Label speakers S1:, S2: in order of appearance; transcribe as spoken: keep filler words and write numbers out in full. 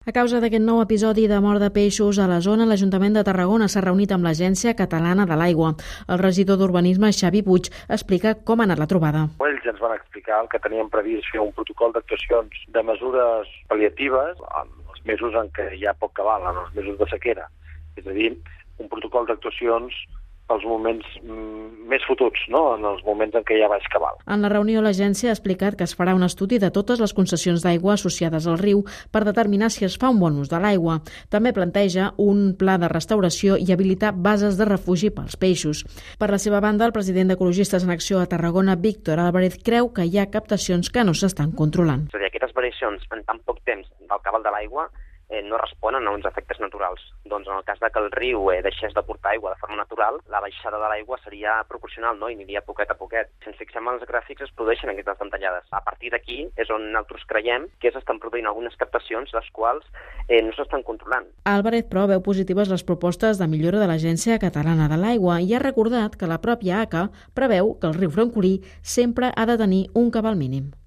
S1: A causa d'aquest nou episodi de mort de peixos a la zona, l'Ajuntament de Tarragona s'ha reunit amb l'Agència Catalana de l'Aigua. El regidor d'Urbanisme, Xavi Puig, explica com ha anat la trobada.
S2: Ells ens van explicar que tenien previst fer un protocol d'actuacions de mesures pal·liatives en els mesos en què hi ha poc cabal, en els mesos de sequera. És a dir, un protocol d'actuacions pels moments mm, més fotuts, no? En els moments en què hi ha baix cabal.
S1: En la reunió, l'agència ha explicat que es farà un estudi de totes les concessions d'aigua associades al riu per determinar si es fa un bon ús de l'aigua. També planteja un pla de restauració i habilitar bases de refugi pels peixos. Per la seva banda, el president d'Ecologistes en Acció a Tarragona, Víctor Álvarez, creu que hi ha captacions que no s'estan controlant.
S3: És a dir, aquestes variacions en tan poc temps del cabal de l'aigua Eh, no responen a uns efectes naturals. Doncs en el cas de que el riu eh, deixés de portar aigua de forma natural, la baixada de l'aigua seria proporcional, no? I aniria poquet a poquet. Si ens fixem en els gràfics es produeixen aquestes ventallades. A partir d'aquí és on nosaltres creiem que s'estan produint algunes captacions les quals eh, no s'estan controlant.
S1: Álvarez, però, veu positives les propostes de millora de l'Agència Catalana de l'Aigua i ha recordat que la pròpia A C A preveu que el riu francolí sempre ha de tenir un cabal mínim.